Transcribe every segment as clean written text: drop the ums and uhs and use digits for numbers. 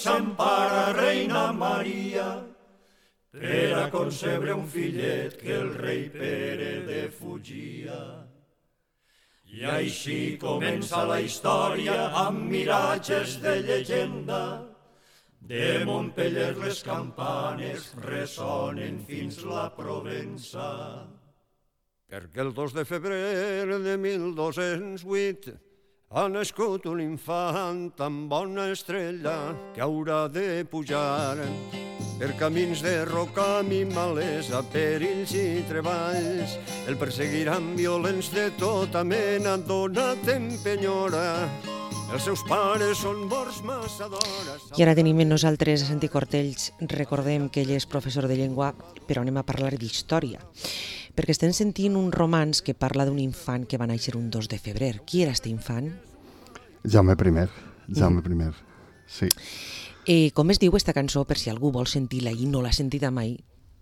s'empara, reina Maria, per a concebre un fillet que el rei Pere defugia. I així comença la història amb miratges de llegenda. De Montpeller les campanes ressonen fins la Provença. Perquè el 2 de febrer de 1208 ha nascut un infant amb bona estrella que haurà de pujar per camins de roca i malesa, perills i treballs. El perseguiran violents de tota mena, donat en penyora. Els seus pares són morts massa d'hora. I ara tenim en nosaltres a Santi Cortells. Recordem que ell és professor de llengua, però anem a parlar d'història. Perquè estem sentint un romanç que parla d'un infant que va néixer un 2 de febrer. Qui era aquest infant? Jaume I, sí. Com es diu aquesta cançó, per si algú vol sentir-la i no l'ha sentida mai?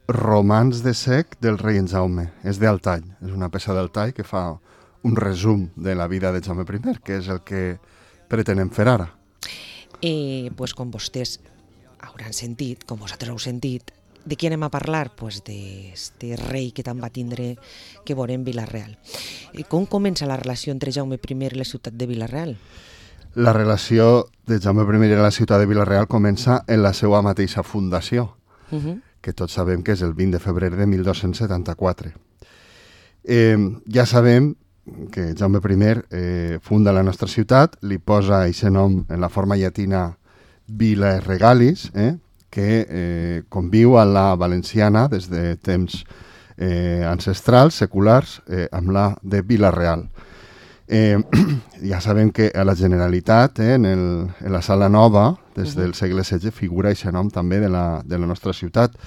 Romanç de sec del rei en Jaume. És d'Altall, és una peça d'Altall que fa un resum de la vida de Jaume I, que és el que pretenem fer ara. Pues com vostès hauran sentit, com vosaltres heu sentit, de qui anem a parlar? Pues d'este rei que tant va tindre que veurem Vila-real. Com comença la relació entre Jaume I i la ciutat de Vila-real? La relació de Jaume I i la ciutat de Vila-real comença en la seva mateixa fundació, que tots sabem que és el 20 de febrer de 1274. Ja sabem que Jaume I funda la nostra ciutat, li posa aquest nom en la forma llatina Vila Regalis, que conviu a la valenciana des de temps ancestrals, seculars, amb la de Vila-real. Ja sabem que a la Generalitat, en la Sala Nova, des del segle XVI, figura aquest nom també de la nostra ciutat,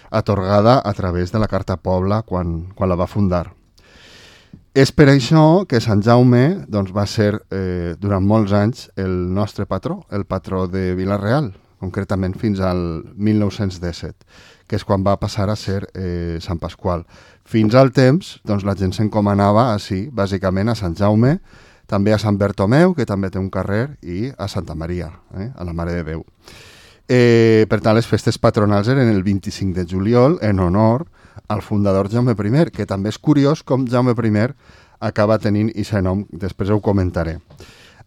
atorgada a través de la Carta Pobla quan la va fundar. És per això que Sant Jaume va ser durant molts anys el nostre patró, el patró de Vila-real, concretament fins al 1917, que és quan va passar a ser Sant Pasqual. Fins al temps, la gent s'encomanava així, bàsicament a Sant Jaume, també a Sant Bertomeu, que també té un carrer, i a Santa Maria, a la Mare de Déu. Per tant, les festes patronals eren el 25 de juliol, en honor al fundador Jaume I, que també és curiós com Jaume I acaba tenint aquest nom, després ho comentaré.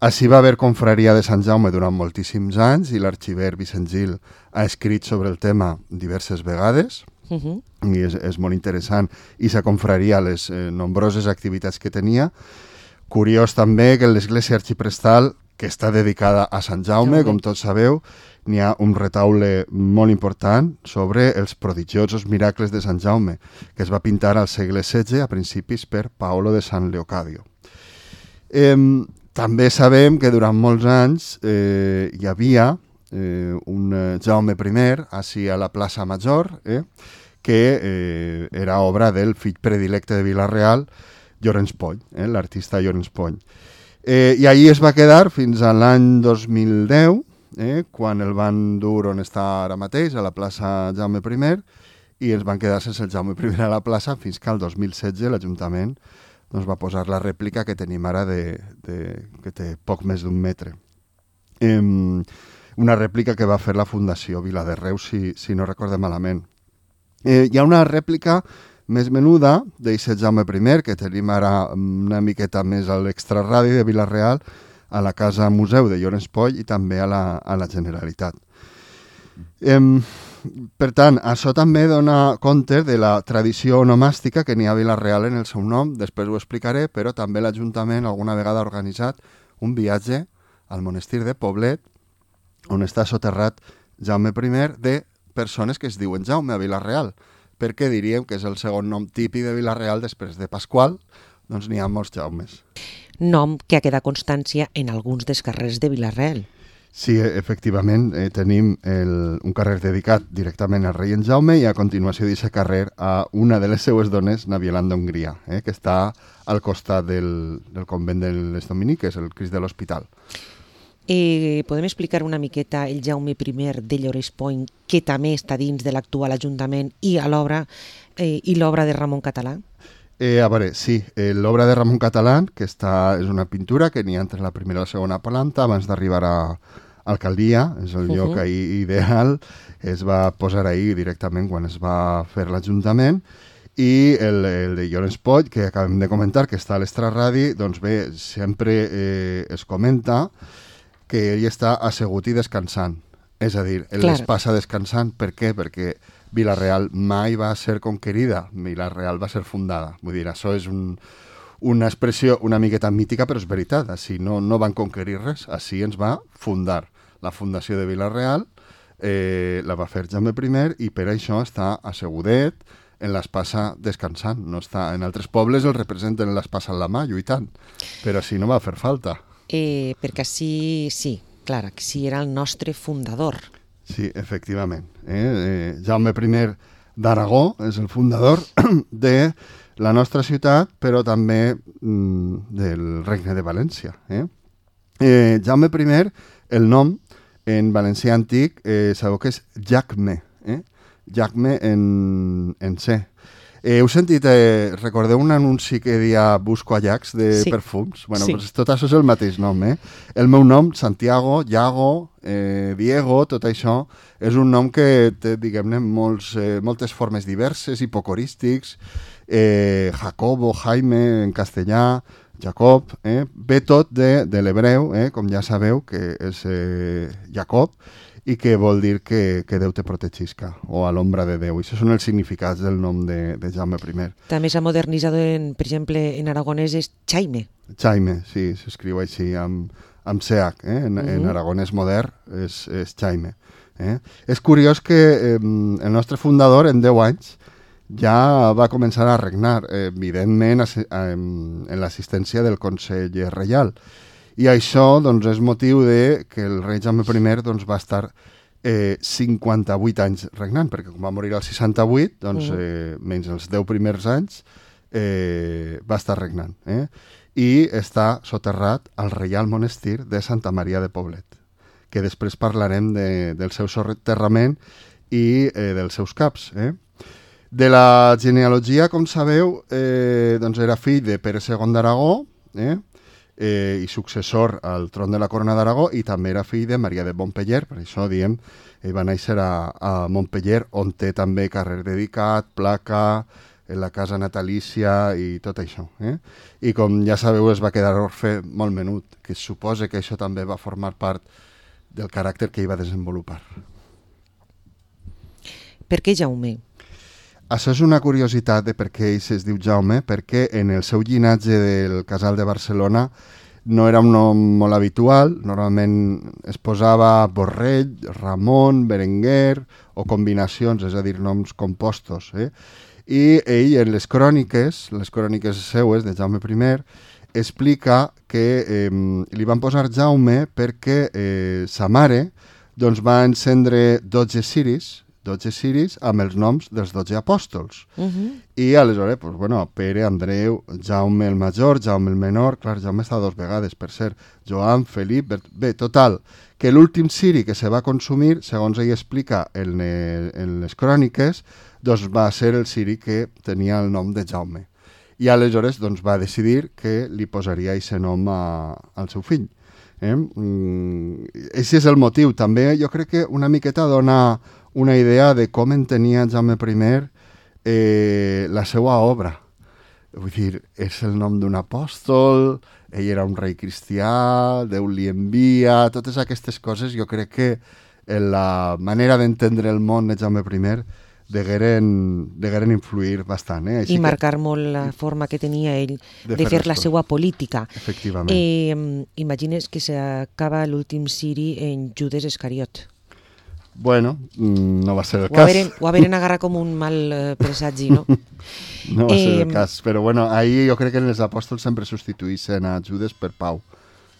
Així va haver confraria de Sant Jaume durant moltíssims anys i l'arxiver Vicent Gil ha escrit sobre el tema diverses vegades i és molt interessant i sa confraria les nombroses activitats que tenia. Curiós també que l'església arxiprestal, que està dedicada a Sant Jaume, com tots sabeu, n'hi ha un retaule molt important sobre els prodigiosos miracles de Sant Jaume, que es va pintar al segle XVI, a principis per Paolo de San Leocadio. També sabem que durant molts anys hi havia un Jaume I, així a la plaça Major, que era obra del fill predilecte de Vila-real, Llorenç Pony, l'artista Llorenç Pony. I allí es va quedar fins a l'any 2010, quan el van dur on està ara mateix, a la plaça Jaume I, i ens van quedar sense el Jaume I a la plaça fins que el 2016 l'Ajuntament va posar la rèplica que tenim ara que té poc més d'un metre. Una rèplica que va fer la Fundació Vila de Reus, si no recorde malament. Hi ha una rèplica més menuda d'aquest Jaume I, que tenim ara una miqueta més a l'extraradi de Vila-real, a la Casa Museu de Llorenç Pony i també a la Generalitat. Per tant, això també dona compte de la tradició onomàstica que n'hi ha a Vila-real en el seu nom, després ho explicaré, però també l'Ajuntament alguna vegada ha organitzat un viatge al monestir de Poblet, on està soterrat Jaume I, de persones que es diuen Jaume a Vila-real, perquè diríem que és el segon nom típic de Vila-real després de Pasqual, doncs n'hi ha molts Jaumes. Nom que ha quedat constància en alguns dels carrers de Vila-real. Sí, efectivament, tenim un carrer dedicat directament al rei en Jaume i a continuació d'aquest carrer a una de les seues dones, Naviolanda Hongria, que està al costat del convent de les Dominiques, el Crist de l'Hospital. Podem explicar una miqueta el Jaume I de Llorenç Pony, que també està dins de l'actual Ajuntament i l'obra de Ramon Català? A veure, sí, l'obra de Ramon Català, que és una pintura que n'hi ha entre la primera i la segona planta abans d'arribar a alcaldia, és el lloc ideal, es va posar ahir directament quan es va fer l'Ajuntament, i el de Llorenç Poll, que acabem de comentar, que està a l'Extraradi, doncs bé, sempre es comenta que ell està assegut i descansant. És a dir, ell es passa descansant. Per què? Perquè Vila-real mai va ser conquerida, Vila-real va ser fundada. Vull dir, això és una expressió una miqueta mítica, però és veritat. Així no van conquerir res, així ens va fundar. La fundació de Vila-real la va fer Jaume I i per això està assegudet en l'espasa descansant. No està, en altres pobles el representen l'espasa en la mà, lluitant, però així no va fer falta. Perquè així, sí, clar, que sí era el nostre fundador. Sí, efectivament. Jaume I d'Aragó és el fundador de la nostra ciutat, però també del Regne de València. Jaume I, el nom en valencià antic, sabeu que és Jacme, Jacme en C. Heu sentit, recordeu un anunci que deia busco Ajax de perfums? Bueno, pues tot això és el mateix nom, El meu nom, Santiago, Iago, Diego, tot això, és un nom que té, diguem-ne, moltes formes diverses, hipocorístics, Jacobo, Jaime, en castellà, Jacob, ve tot de l'hebreu, com ja sabeu, que és Jacob, i que vol dir que Déu te protegisca, o a l'ombra de Déu. I això són els significats del nom de Jaume I. També s'ha modernitzat, per exemple, en aragonès és Chaime. Chaime, sí, s'escriu així, amb CH, en aragonès modern és Chaime. És curiós que el nostre fundador, en 10 anys, ja va començar a regnar, evidentment, en l'assistència del Consell Reial. I això doncs, és motiu de que el rei Jaume I doncs, va estar 58 anys regnant, perquè com va morir al 68, doncs, menys els 10 primers anys, va estar regnant. I està soterrat al Reial Monestir de Santa Maria de Poblet, que després parlarem del seu soterrament i dels seus caps. De la genealogia, com sabeu, doncs era fill de Pere II d'Aragó, i successor al tron de la corona d'Aragó, i també era fill de Maria de Montpeller, per això diem, ell va néixer a Montpeller, on té també carrer dedicat, placa, en la casa natalícia i tot això. I com ja sabeu, es va quedar orfe molt menut, que es suposa que això també va formar part del caràcter que ell va desenvolupar. Per què Jaume? Això és una curiositat de per què ell es diu Jaume, perquè en el seu llinatge del Casal de Barcelona no era un nom molt habitual, normalment es posava Borrell, Ramon, Berenguer o combinacions, és a dir, noms compostos. I ell en les cròniques seues de Jaume I, explica que li van posar Jaume perquè sa mare doncs, va encendre 12 ciris amb els noms dels 12 apòstols. I aleshores, pues, bueno, Pere, Andreu, Jaume el major, Jaume el menor, clar, Jaume està 2 vegades, per cert, Joan, Felip, bé, total, que l'últim ciri que se va consumir, segons ell explica en les cròniques, doncs va ser el ciri que tenia el nom de Jaume. I aleshores doncs, va decidir que li posaria aquest nom al seu fill. Aquest és el motiu. També jo crec que una miqueta dona una idea de com entenia Jaume I la seva obra. Vull dir, és el nom d'un apòstol, ell era un rei cristià, Déu li envia, totes aquestes coses jo crec que en la manera d'entendre el món de Jaume I degueren influir bastant. I marcar molt la forma que tenia ell de fer la seva política. Efectivament. Imagines que s'acaba l'últim ciri en Judes Iscariot. Bueno, no va ser el cas. Ho haveren agarrat com un mal presagi, no? No va ser el cas, però bueno, ahir jo crec que els apòstols sempre substituïssin a Judes per Pau,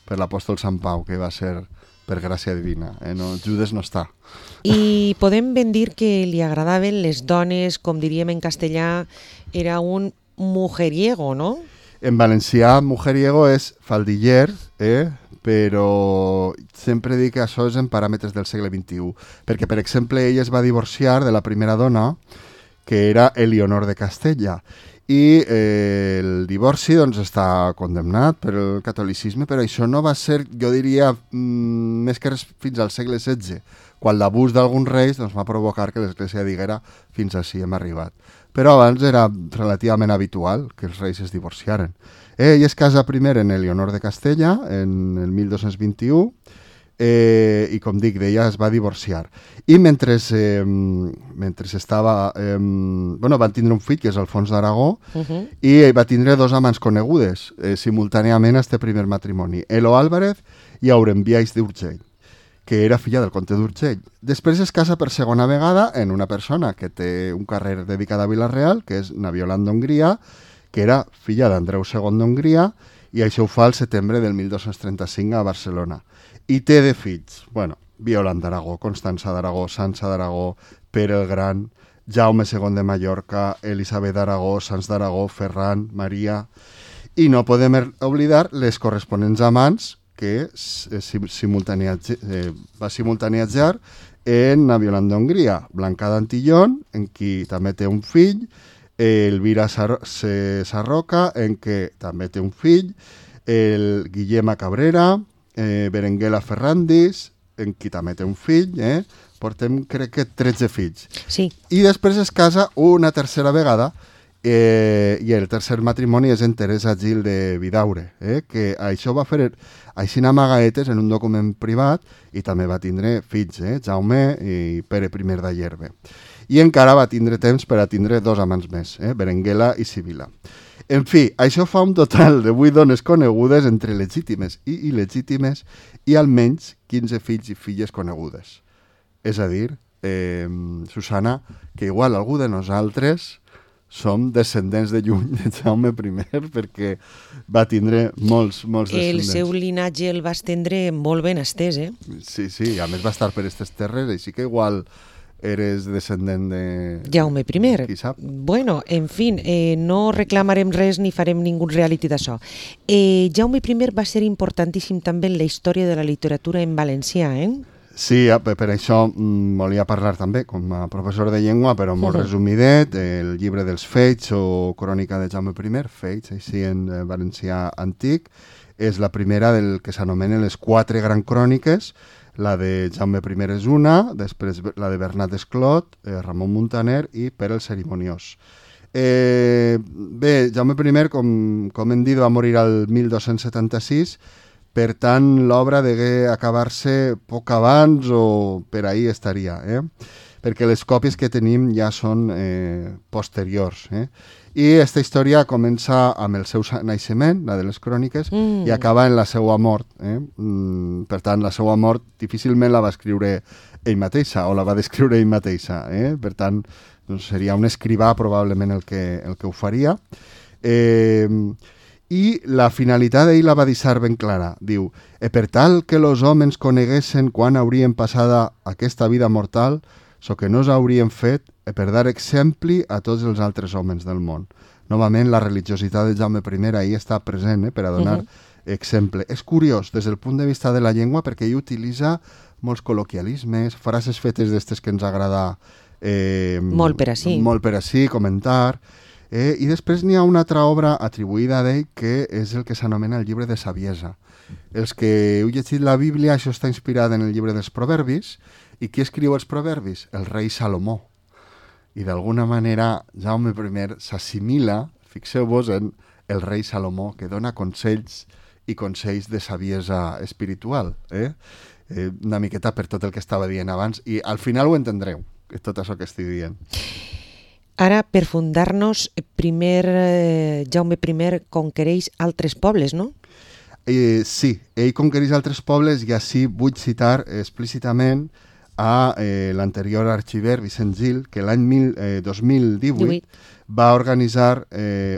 per l'apòstol Sant Pau, que va ser per gràcia divina. No, Judes no està. I podem ben dir que li agradaven les dones, com diríem en castellà, era un mujeriego, no? En valencià, mujeriego és faldiller, però sempre dic que això és en paràmetres del segle XXI, perquè, per exemple, ell es va divorciar de la primera dona, que era Elionor de Castella, i el divorci doncs, està condemnat per el catolicisme, però això no va ser, jo diria, més que res fins al segle XVI, quan l'abús d'alguns reis doncs, va provocar que l'Església diguera fins ací hem arribat. Però abans era relativament habitual que els reis es divorciaren. Ell es casa primer en Elionor de Castella, en el 1221, i com dic, d'ella es va divorciar. I mentre estava... van tindre un fill, que és Alfons d'Aragó, i va tindre dos amants conegudes simultàniament a este primer matrimoni, Elo Álvarez i Aurembiais d'Urgell, que era filla del comte d'Urgell. Després es casa per segona vegada en una persona que té un carrer dedicat a Vila-real, que és Naviolant d'Hongria, que era filla d'Andreu II d'Hongria, i això ho fa al setembre del 1235 a Barcelona. I té de fills, Violant d'Aragó, Constança d'Aragó, Sança d'Aragó, Pere el Gran, Jaume II de Mallorca, Elisabet d'Aragó, Sanç d'Aragó, Ferran, Maria... I no podem oblidar les corresponents amants que va simultanejar en Naviolant d'Hongria, Blanca d'Antillón, en qui també té un fill, Elvira Sarroca, en què també té un fill, el Guillema Cabrera, Berenguela Ferrandis, en qui també té un fill, portem crec que 13 fills. Sí. I després es casa una tercera vegada, i el tercer matrimoni és en Teresa Gil de Vidaure, que això va fer així amagaetes en un document privat i també va tindre fills, Jaume i Pere I d'Ayerbe. I encara va tindre temps per a tindre dos amants més, Berenguela i Sibila. En fi, això fa un total de 8 dones conegudes entre legítimes i il·legítimes i almenys 15 fills i filles conegudes. És a dir, Susana, que igual algú de nosaltres som descendents de lluny de Jaume I perquè va tindre molts descendents. El seu linatge el va estendre molt ben estès, Sí, a més va estar per aquestes terres, així que igual eres descendent de... Jaume I. Qui sap? Bueno, en fi, no reclamarem res ni farem ningú reality d'això. Jaume I va ser importantíssim també en la història de la literatura en valencià, Sí, per això volia parlar també com a professor de llengua, però molt resumidet, el llibre dels Feits o Crònica de Jaume I, Feits, així en valencià antic, és la primera del que s'anomenen les 4 grans cròniques. La de Jaume I és una, després la de Bernat Esclot, Ramon Muntaner i Pere el Cerimoniós. Bé, Jaume I, com hem dit, va morir al 1276, per tant, l'obra degué acabar-se poc abans o per ahir estaria, perquè les còpies que tenim ja són posteriors. I aquesta història comença amb el seu naixement, la de les cròniques, i acaba en la seva mort. Per tant, la seva mort difícilment la va escriure ell mateixa o la va descriure ell mateixa. Per tant, doncs seria un escrivà probablement el que ho faria. I la finalitat d'ell la va deixar ben clara. Diu, per tal que los homes coneguessin quan haurien passada aquesta vida mortal, so que no s'haurien fet per dar exemple a tots els altres homes del món. Novament, la religiositat de Jaume I ahir està present per a donar exemple. És curiós des del punt de vista de la llengua perquè ell utilitza molts col·loquialismes, frases fetes d'estes que ens agrada molt per ací comentar. I després n'hi ha una altra obra atribuïda a ell que és el que s'anomena el llibre de saviesa. Els que heu llegit la Bíblia, això està inspirat en el llibre dels Proverbis. I qui escriu els Proverbis? El rei Salomó. I d'alguna manera Jaume I s'assimila, fixeu-vos, en el rei Salomó, que dona consells i consells de saviesa espiritual. Una miqueta per tot el que estava dient abans. I al final ho entendreu, tot això que estic dient. Ara, per fundar-nos, primer Jaume I conquereix altres pobles, no? Sí, ell conquereix altres pobles i així vull citar explícitament a l'anterior arxiver Vicent Gil, que l'any 2018 va organitzar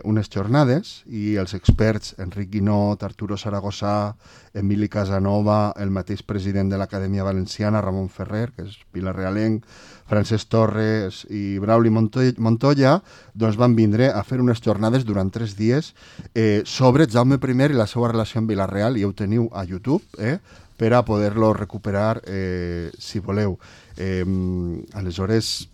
unes jornades i els experts Enric Guinot, Arturo Saragossa, Emili Casanova, el mateix president de l'Acadèmia Valenciana, Ramon Ferrer, que és vilarealenc, Francesc Torres i Brauli Montoya, doncs van vindre a fer unes jornades durant 3 dies sobre Jaume I i la seva relació amb Vila-real, i ho teniu a YouTube, per a poder-lo recuperar si voleu. Aleshores,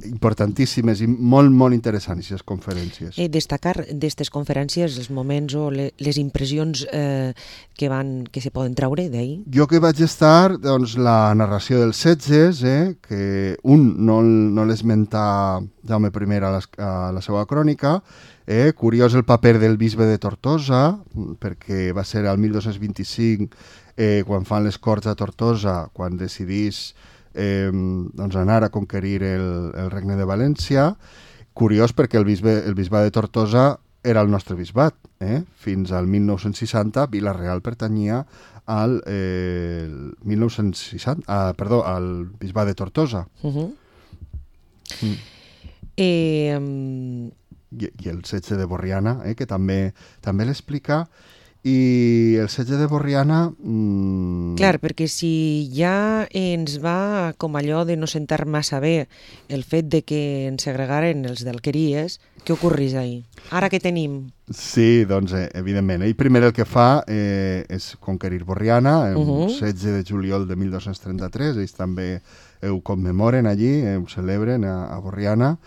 importantíssimes i molt, molt interessants, aquestes conferències. Destacar d'aquestes conferències els moments o les impressions que se poden treure d'ahir? Jo que vaig estar, doncs, la narració dels setges, que no l'esmenta Jaume I a la seva crònica, curiós el paper del bisbe de Tortosa, perquè va ser el 1225, quan fan les Corts a Tortosa, quan decidís doncs anar a conquerir el Regne de València. Curiós perquè el bisbat de Tortosa era el nostre bisbat. Fins al 1960 Vila-real pertanyia al bisbat de Tortosa. I el setge de Borriana, que també l'explica. I el setge de Borriana... Clar, perquè si ja ens va com allò de no sentar massa bé el fet de que ens segregaren els d'Alqueries, què ocorrís ahir? Ara què tenim? Sí, doncs, evidentment. Ell primer el que fa és conquerir Borriana, el setge de juliol de 1233, ells també ho commemoren allí, ho celebren a Borriana,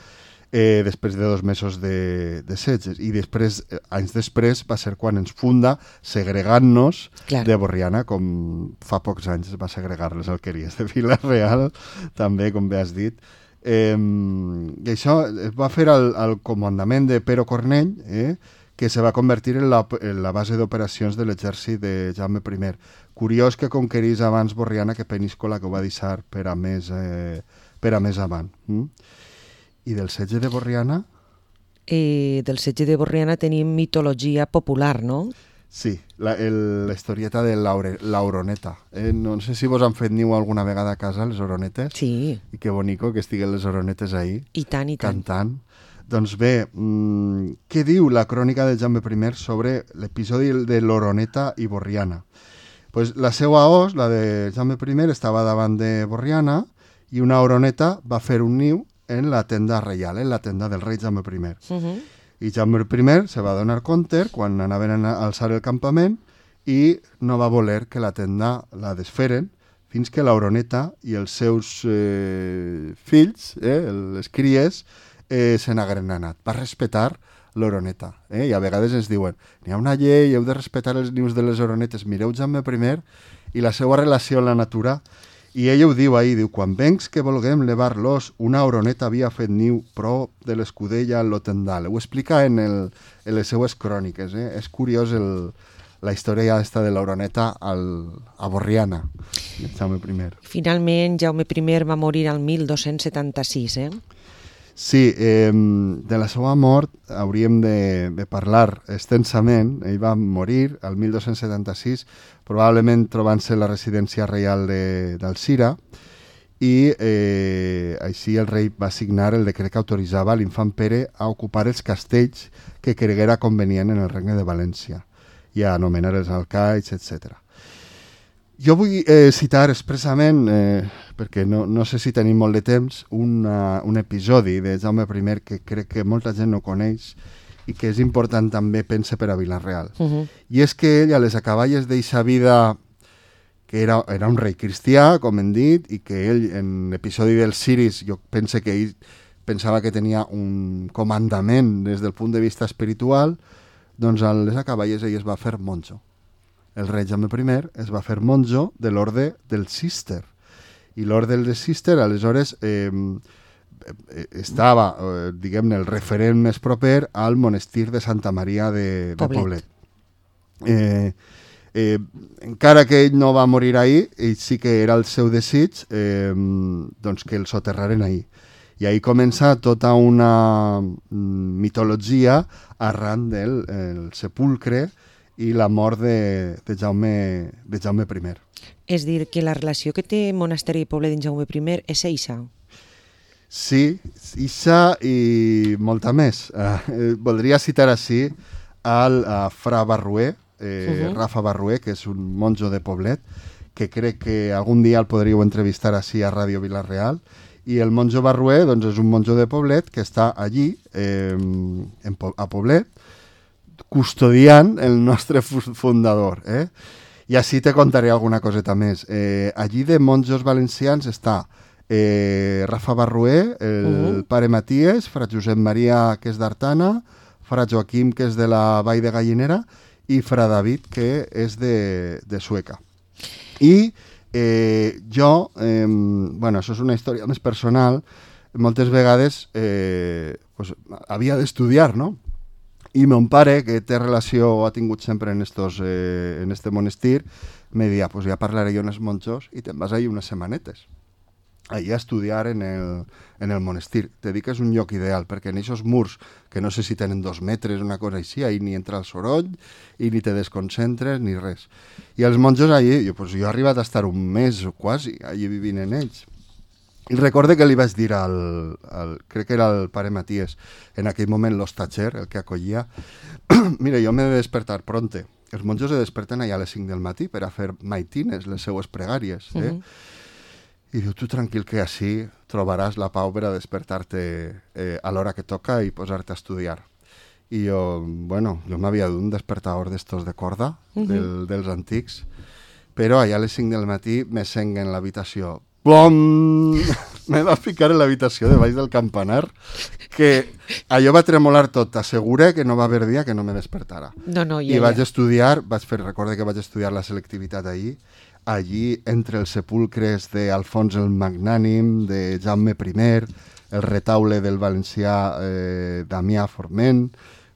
després de 2 mesos de setges. I després, anys després, va ser quan ens funda segregant-nos de Borriana, com fa pocs anys va segregar les alqueries de Vila-real, també, com bé has dit. I això es va fer al comandament de Pero Cornell, que se va convertir en la base d'operacions de l'exèrcit de Jaume I. Curiós que conquerís abans Borriana que Peníscola, que ho va deixar per a més avant. I del setge de Borriana? Del setge de Borriana tenim mitologia popular, no? Sí, la historieta de l'Oroneta. No sé si vos han fet niu alguna vegada a casa, les oronetes. Sí. I que bonico que estiguen les oronetes ahí. I tant, i tant. Cantant. Doncs bé, què diu la crònica de Jaume I sobre l'episodi de l'Oroneta i Borriana? Pues la seva os, la de Jaume I, estava davant de Borriana i una oroneta va fer un niu en la tenda reial, en la tenda del rei Jaume I. I Jaume I se va donar compte quan anaven a alçar el campament i no va voler que la tenda la desferen fins que l'oroneta i els seus fills, les cries, se n'hagueren anat. Va respetar l'oroneta. I a vegades ens diuen, n'hi ha una llei, heu de respetar els nius de les oronetes. Mireu Jaume I i la seva relació amb la natura. I ell ho diu ahir, diu, quan vencs que volguem levar-los, una oroneta havia fet niu prop de l'escudella en lo tendal. Ho explica en les seues cròniques. És curiós la història esta de l'oroneta a Borriana, Jaume I. Finalment, Jaume I va morir al 1276, Sí, de la seva mort hauríem de parlar extensament. Ell va morir al 1276, probablement trobant-se la residència reial d'Alzira, i així el rei va signar el decret que autoritzava l'infant Pere a ocupar els castells que creguera convenient en el Regne de València i a anomenar els alcaids, etc. Jo vull citar expressament, perquè no sé si tenim molt de temps, un episodi de Jaume I que crec que molta gent no coneix i que és important també, pense, per a Vila-real. I és que ell, a les acaballes d'eixa vida, que era un rei cristià, com hem dit, i que ell, en l'episodi dels ciris, jo pense que ell pensava que tenia un comandament des del punt de vista espiritual, doncs a les acaballes ell es va fer monjo. El rei Jaume I es va fer monjo de l'orde del Cister. I l'orde del Cister, aleshores, estava, diguem-ne, el referent més proper al monestir de Santa Maria de Poblet. Encara que ell no va morir ahir, ell sí que era el seu desig doncs que el soterraren ahir. I ahir comença tota una mitologia arran del sepulcre i la mort de Jaume I. És dir, que la relació que té Monasteri i Poblet en Jaume I és eixa? Sí, eixa i molta més. Voldria citar així al fra Barrué, Rafa Barrué, que és un monjo de Poblet, que crec que algun dia el podríeu entrevistar així a Ràdio Vila-real. I el monjo Barrué doncs, és un monjo de Poblet que està allí, a Poblet, custodiant el nostre fundador. I així te contaré alguna coseta més. Allí de monjos valencians està Rafa Barrué, el pare Maties, fra Josep Maria, que és d'Artana, fra Joaquim, que és de la Vall de Gallinera, i fra David, que és de Sueca. I jo, bueno, això és una història més personal, moltes vegades pues, havia d'estudiar, no? I mon pare, que té relació, ha tingut sempre en este monestir, me deia, pues ja parlaré jo amb els monjos i te'n vas allà unes setmanetes, allà a estudiar en el monestir. Te dic que és un lloc ideal, perquè en aquests murs, que no sé si tenen 2 metres, una cosa així, ahí ni entra el soroll, i ni te desconcentres, ni res. I els monjos allí, jo he arribat a estar un mes o quasi, allí vivint en ells. I recorde que li vaig dir crec que era el pare Maties, en aquell moment l'hostatger, el que acollia, mira, jo m'he de despertar pronte. Els monjos se desperten allà a les 5 del matí per a fer maitines, les seues pregàries. I diu, tu tranquil que així trobaràs la pau per a despertar-te a l'hora que toca i posar-te a estudiar. I jo, bueno, jo m'havia d'un despertador d'estos de corda, dels antics, però allà a les 5 del matí me sent en l'habitació. Plom! Me va ficar en l'habitació de baix del campanar, que allò va tremolar tot. T'assegure que no va haver dia que no me despertara. I vaig estudiar, recorde que vaig estudiar la selectivitat allí entre els sepulcres d'Alfons el Magnànim, de Jaume I, el retaule del valencià Damià Forment.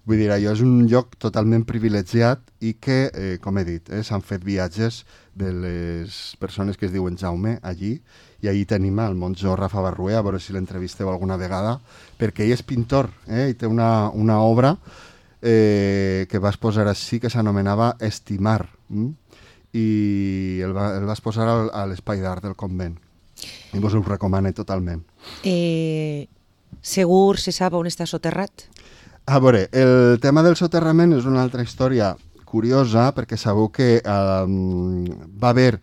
Vull dir, allò és un lloc totalment privilegiat i que, com he dit, s'han fet viatges de les persones que es diuen Jaume allí, i allí tenim el monjo Rafa Barrué, a veure si l'entrevisteu alguna vegada, perquè ell és pintor, i té una obra que vas posar així, que s'anomenava Estimar, i el vas posar a l'espai d'art del convent. I vos ho recomano totalment. Segur se sap on està soterrat? A veure, el tema del soterrament és una altra història curiosa, perquè sabeu que va haver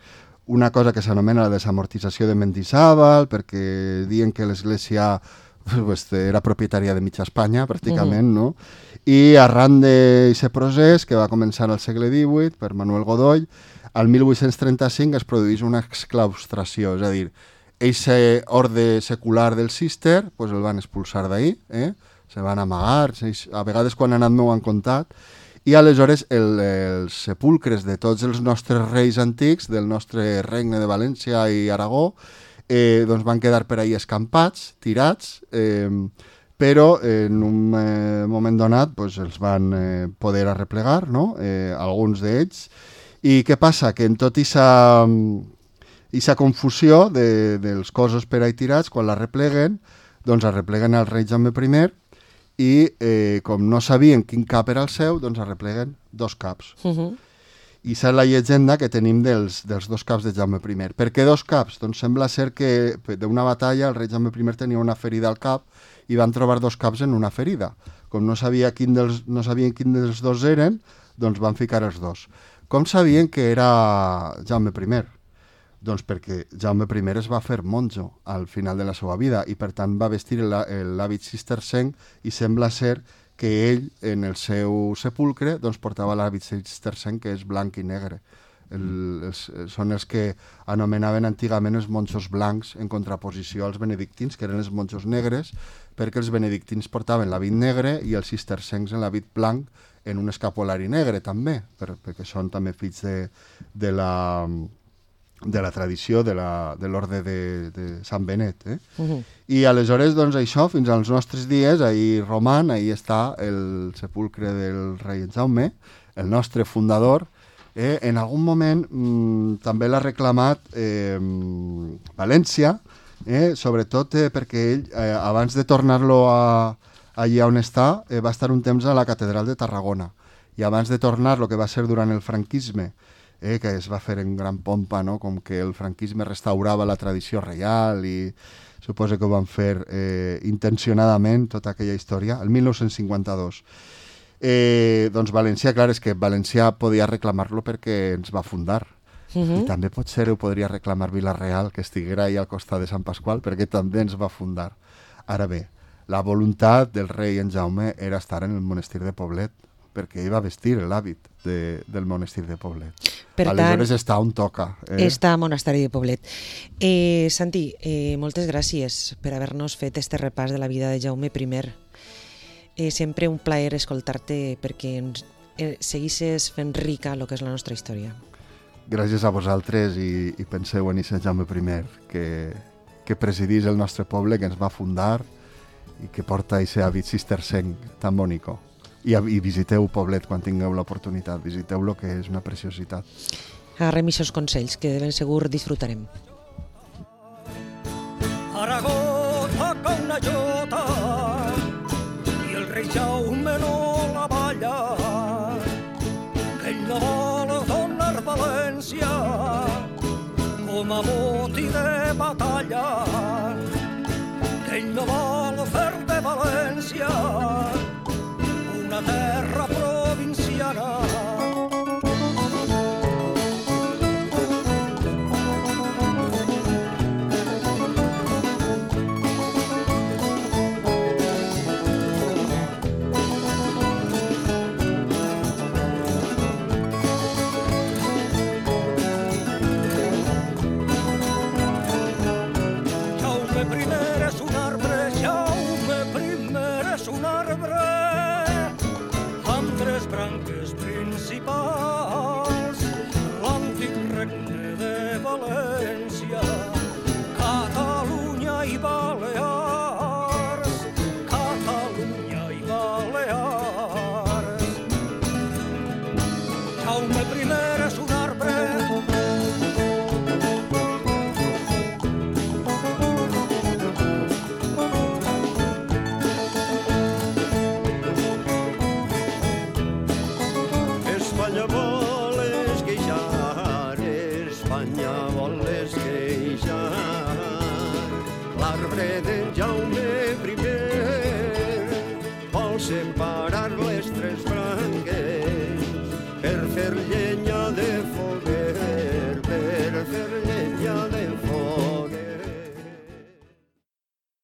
una cosa que s'anomena la desamortització de Mendizábal, perquè diuen que l'església era propietària de mitja Espanya, pràcticament, no? I arran d'aquest procés, que va començar al segle XVIII, per Manuel Godoy, al 1835 es produeix una exclaustració, és a dir, aquest orde secular del Cister el van expulsar d'ahir, se van amagar, a vegades quan han anat m'ho han contat, i aleshores els sepulcres de tots els nostres reis antics, del nostre regne de València i Aragó, doncs van quedar per ahir escampats, tirats, però en un moment donat els van poder arreplegar, no? Alguns d'ells. I què passa? Que en tot aquesta confusió dels cossos per ahir tirats, quan l'arrepleguen, doncs arrepleguen el rei Jaume I, i com no sabien quin cap era el seu, doncs arrepleguen 2 caps. I és la llegenda que tenim dels 2 caps de Jaume I. Per què 2 caps? Doncs sembla ser que d'una batalla el rei Jaume I tenia una ferida al cap i van trobar 2 caps en una ferida. Com no sabien quin dels 2 eren, doncs van ficar els 2. Com sabien que era Jaume I? Doncs perquè Jaume I es va fer monjo al final de la seva vida i per tant va vestir l'hàbit cistercenc i sembla ser que ell en el seu sepulcre doncs, portava l'hàbit cistercenc que és blanc i negre. Són els que anomenaven antigament els monjos blancs en contraposició als benedictins, que eren els monjos negres, perquè els benedictins portaven l'hàbit negre i els cistercencs en l'hàbit blanc en un escapolari negre també, perquè són també fills de la tradició de l'orde de Sant Benet. I aleshores, doncs això, fins als nostres dies, ahir roman, ahir està el sepulcre del rei Jaume, el nostre fundador. En algun moment també l'ha reclamat València, sobretot perquè ell, abans de tornar-lo allà on està, va estar un temps a la catedral de Tarragona. I abans de tornar-lo, que va ser durant el franquisme, que es va fer en gran pompa, no? Com que el franquisme restaurava la tradició reial i suposo que ho van fer intencionadament, tota aquella història, el 1952. Doncs València, clar, és que València podia reclamar-lo perquè ens va fundar. I també potser ho podria reclamar Vila-real, que estiguera ahí al costat de Sant Pasqual, perquè també ens va fundar. Ara bé, la voluntat del rei en Jaume era estar en el monestir de Poblet. perquè ell va vestir l'hàbit del monestir de Poblet. Per Aleshores tant, està on toca. està a Monasteri de Poblet. Santi, moltes gràcies per haver-nos fet este repàs de la vida de Jaume I. Sempre un plaer escoltar-te perquè seguisses fent rica el que és la nostra història. Gràcies a vosaltres i penseu en aquest Jaume I que presidís el nostre poble, que ens va fundar i que porta aquest hàbit cistercenc tan bonico. I visiteu Poblet quan tingueu l'oportunitat, visiteu-lo, que és una preciositat. Agarrem aquests consells, que de ben segur disfrutarem. Aragó toca una jota i el rei Jaume no la balla, que ell no vol donar València com a botí de batalla, que ell no vol fer de València una terra provinciana. L'antic regne de València, Catalunya i Balears, Catalunya i Balears. Jaume I és un arbre, Espanya vol esqueixar, Espanya vol esqueixar. L'arbre d'en Jaume I vol separar